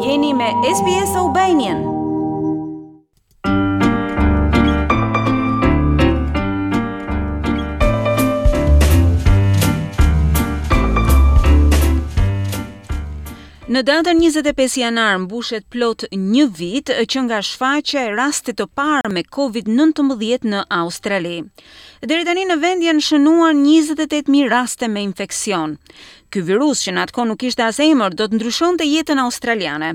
Jeni me SBS Albanian. Në datën 25 janar mbushet plot një vit që nga shfaqja e rastit të parë me COVID-19 në Australi. Deri tani në vend janë shënuar 28.000 raste me infeksion. Ky virus që në atë kohë nuk kishte as emër, do të ndryshonte jetën australiane.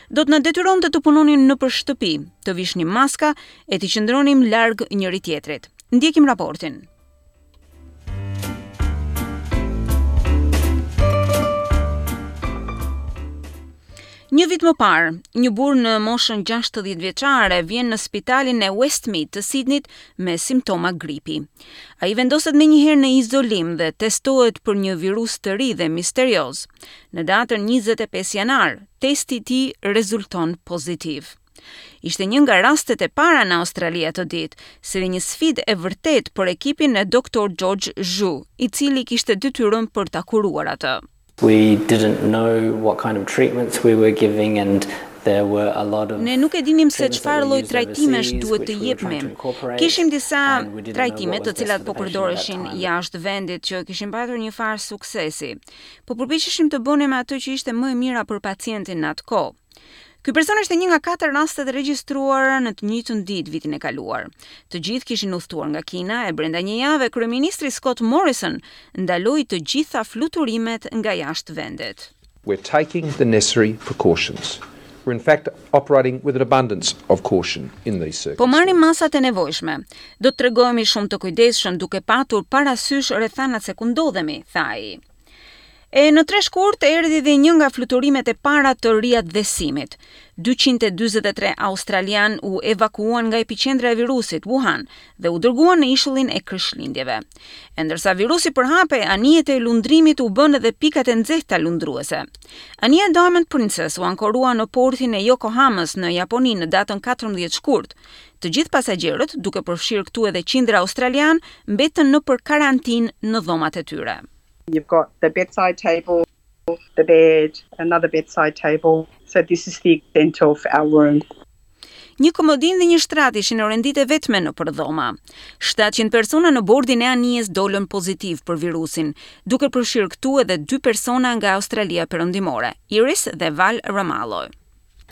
Do të na detyronte të punonim nëpër shtëpi, të vishnim maska e t'i qëndronim larg njëri-tjetrit. Ndjekim raportin. Një vit më parë, një burrë në moshën 60 vjeçare vjen në spitalin e Westmead të Sydneyt me simptoma gripi. Ai vendoset menjëherë në izolim dhe testohet për një virus të ri dhe misterioz. Në datën 25 janar, testi i tij rezulton pozitiv. Ishte një nga rastet e para në Australi atë ditë, si dhe një sfidë e vërtetë për ekipin e Dr. George Zhu, i cili kishte detyrën për ta kuruar atë. We didn't know what kind of treatments we were giving and there were a lot of Ne nuk e dinim se çfarë lloj trajtimesh duhet të jepnim. Kishim disa trajtime të cilat po përdoreshin jashtë vendit që kishin patur një farë suksesi. Po përpiqeshim të bënim atë që ishte më e mira për pacientin në atë kohë. Ky person ishte një nga katër rastet e regjistruara në të njëjtën ditë vitin e kaluar. Të gjithë kishin udhëtuar nga Kina e brenda një jave kryeministri Scott Morrison ndaloi të gjitha fluturimet nga jashtë vendit. We're taking the necessary precautions. We're in fact operating with an abundance of caution in these circumstances. Po marrim masat e nevojshme. Do të tregohemi shumë të kujdesshëm duke patur parasysh rrethanat se ku ndodhemi, tha ai. E në 3 shkurt erdhi dhe një nga fluturimet e para të riatdhesimit. 243 australianë u evakuuan nga epiqendra e virusit, Wuhan, dhe u dërguan në ishullin e Krishtlindjeve. E ndërsa virusi përhapej, anijet e lundrimit u bënë edhe pikat e nxehta lundruese. Anija Diamond Princess u ankorua në portin e Yokohamës në Japoni në datën 14 shkurt. Të gjithë pasagjerët, duke përfshirë këtu edhe qindra australianë, mbetën nëpër karantinë në dhomat e tyre. You've got the bedside table, the bed, another bedside table. So this is the extent of our room. Një komodin dhe një shtrat ishin orenditë e vetme nëpër dhoma. 700 persona në bordin e anijes dolën pozitiv për virusin, duke përfshirë këtu edhe dy persona nga Australia Perëndimore, Iris dhe Val Ramallo.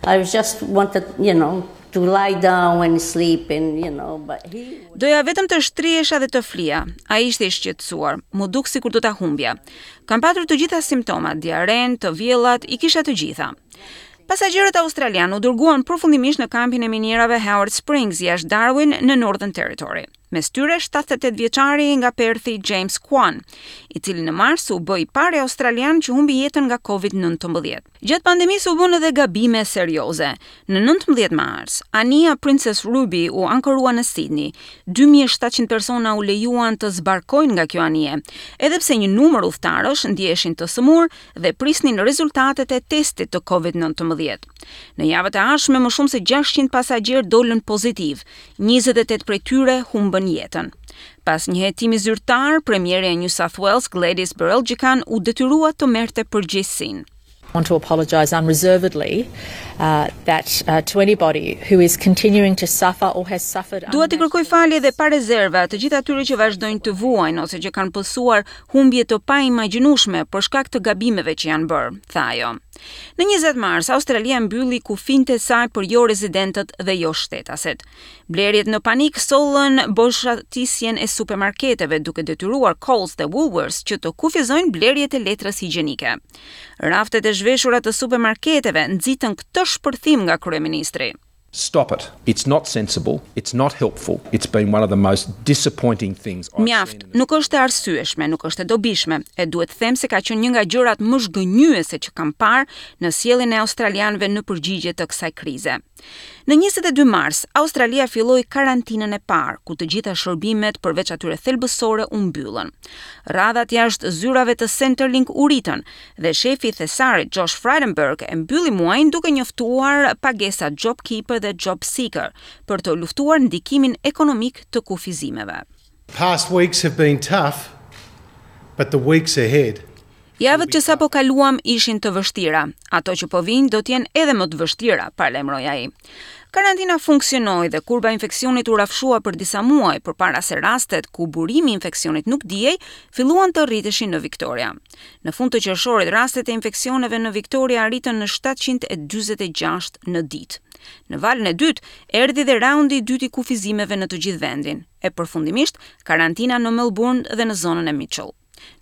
I was just wanted, you know, to lie down and sleep and you know, but he Doja vetëm të shtrihesha dhe të flija. Ai ishte i shqetësuar. M'u duk sikur do ta humbja. Kam patur të gjitha simptomat, diarren, të vjellat, i kisha të gjitha. Pasagjerët australianë u dërguan përfundimisht në kampin e minierave Howard Springs jashtë Darwin në Northern Territory. Mes tyre 78 vjeçari nga Perthi James Kwan, i cili në mars u bë i pari australian që humbi jetën nga COVID-19. Gjatë pandemisë u bënë edhe gabime serioze. Në 19 mars, anija Princess Ruby u ankorua në Sydney. 2700 persona u lejuan të zbarkojnë nga kjo anije, edhe pse një numër udhëtarësh ndjeheshin të sëmurë dhe prisnin rezultatet e testit të COVID-19. Në javët e ardhshme më shumë se 600 pasagjerë dolën pozitiv, 28 prej tyre humbën jetën. Pas një hetimi zyrtar, premierja e New South Wales, Gladys Berejiklian, u detyrua të merrte përgjegjësinë. want to apologise unreservedly uh, that uh, to anybody who is continuing to suffer or has suffered Dua të kërkoj falje dhe pa rezerva të gjithë atyre që vazhdojnë të vuajnë ose që kanë pësuar humbje të paimagjinueshme për shkak të gabimeve që janë bërë, tha ajo. Në 20 mars, Australia mbylli kufinjtë e saj për jo rezidentët dhe jo shtetasit. Blerjet në panik sollën boshatisjen e supermarketeve duke detyruar Coles dhe Woolworths që të kufizojnë blerjet e letrës higjienike. Raftet e zhveshura të supermarketeve nxitën këtë shpërthim nga kryeministri. Stop it. It's not sensible. It's not helpful. It's been one of the most disappointing things I've Mjaft, nuk është e arsyeshme, nuk është e dobishme. E duhet të them se ka qenë një nga gjërat më zhgënjyese që kam parë në sjelljen e australianëve në përgjigje të kësaj krize. Në 22 mars, Australia filloi karantinën e parë, ku të gjitha shërbimet përveç atyre thelbësore u mbyllën. Radhat jashtë zyrave të Centrelink u rritën dhe shefi i thesarit Josh Frydenberg e mbylli muajin duke njoftuar pagesat JobKeeper dhe JobSeeker për të luftuar ndikimin ekonomik të kufizimeve. Past weeks have been tough, but the weeks ahead. Javët që sapo kaluam ishin të vështira. Ato që po vijnë do të jenë edhe më të vështira, paralajmëroi ai. Karantina funksionoi dhe kurba e infeksionit u rrafshua për disa muaj përpara se rastet ku burimi i infeksionit nuk dihej, filluan të rriteshin në Victoria. Në fund të qershorit, rastet e infeksioneve në Victoria arritën në 746 në ditë. Në valën e dytë, erdhi dhe raundi i dytë i kufizimeve në të gjithë vendin, e përfundimisht karantina në Melbourne dhe në zonën e Mitchell.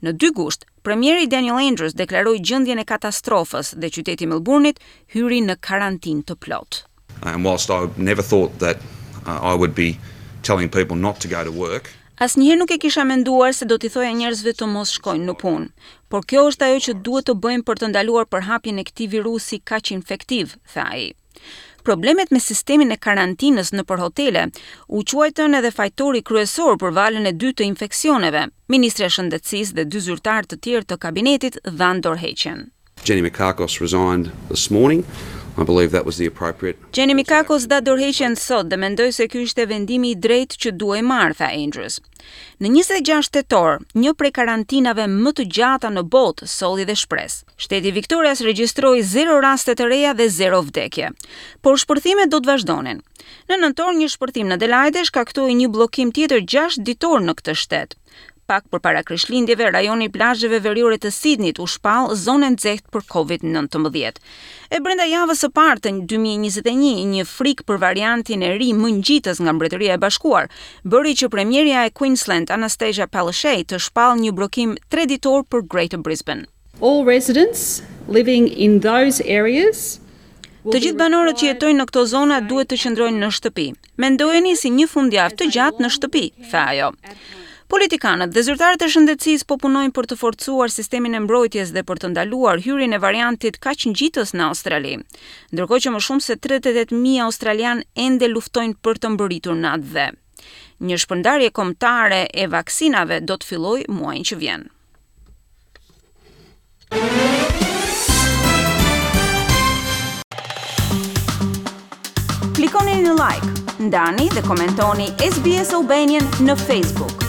Në 2 gusht, premieri Daniel Andrews deklaroi gjendjen e katastrofës dhe qyteti i Melbourne-it hyri në karantinë të plotë. And whilst I never thought that uh, I would be telling people not to go to work, Asnjëherë nuk e kisha menduar se do t'i thoja njerëzve të mos shkojnë në punë, por kjo është ajo që duhet të bëjmë për të ndaluar përhapjen e këtij virusi kaq infektiv, tha ai. Problemet me sistemin e karantinës nëpër hotele u quajtën edhe fajtori kryesor për valën e dytë të infeksioneve. Ministrja e Shëndetësisë dhe dy zyrtarë të tjerë të kabinetit dhanë dorëheqjen. Jenny Mikakos resigned this morning. I believe that was the appropriate Jenny Mikakos dha dorëheqjen sot dhe mendoj se ky ishte vendimi i drejtë që duhej marrë, tha Andrews. Në 26 tetor, një prej karantinave më të gjata në botë solli dhe shpresë. Shteti i Victorias regjistroi 0 raste të reja dhe 0 vdekje. Por shpërthimet do të vazhdonin. Në nëntor një shpërthim në Adelaide shkaktoi një bllokim tjetër 6 ditor në këtë shtet. Pak përpara Krishtlindjeve, rajoni i plazheve veriore të Sydneyt u shpall zonë e nxehtë për COVID-19. E brenda javës së parë të 2021, një frikë për variantin e ri më ngjitës nga Mbretëria e Bashkuar bëri që premierja e Queensland Anastasia Palaszczuk të shpall një bllokim tre ditor për Greater Brisbane. All residents living in those areas Të gjithë banorët që jetojnë në këto zona duhet të qëndrojnë në shtëpi. Mendojeni si një fundjavë të gjatë në shtëpi, tha ajo. Politikanët dhe zyrtarët e shëndetësisë po punojnë për të forcuar sistemin e mbrojtjes dhe për të ndaluar hyrjen e variantit kaq ngjitës në Australi. Ndërkohë që më shumë se 38.000 australian ende luftojnë për të mbërritur në atdhe. Një shpërndarje kombëtare e vaksinave do të fillojë muajin që vjen. Klikoni në like, ndani dhe komentoni SBS Albanian në Facebook.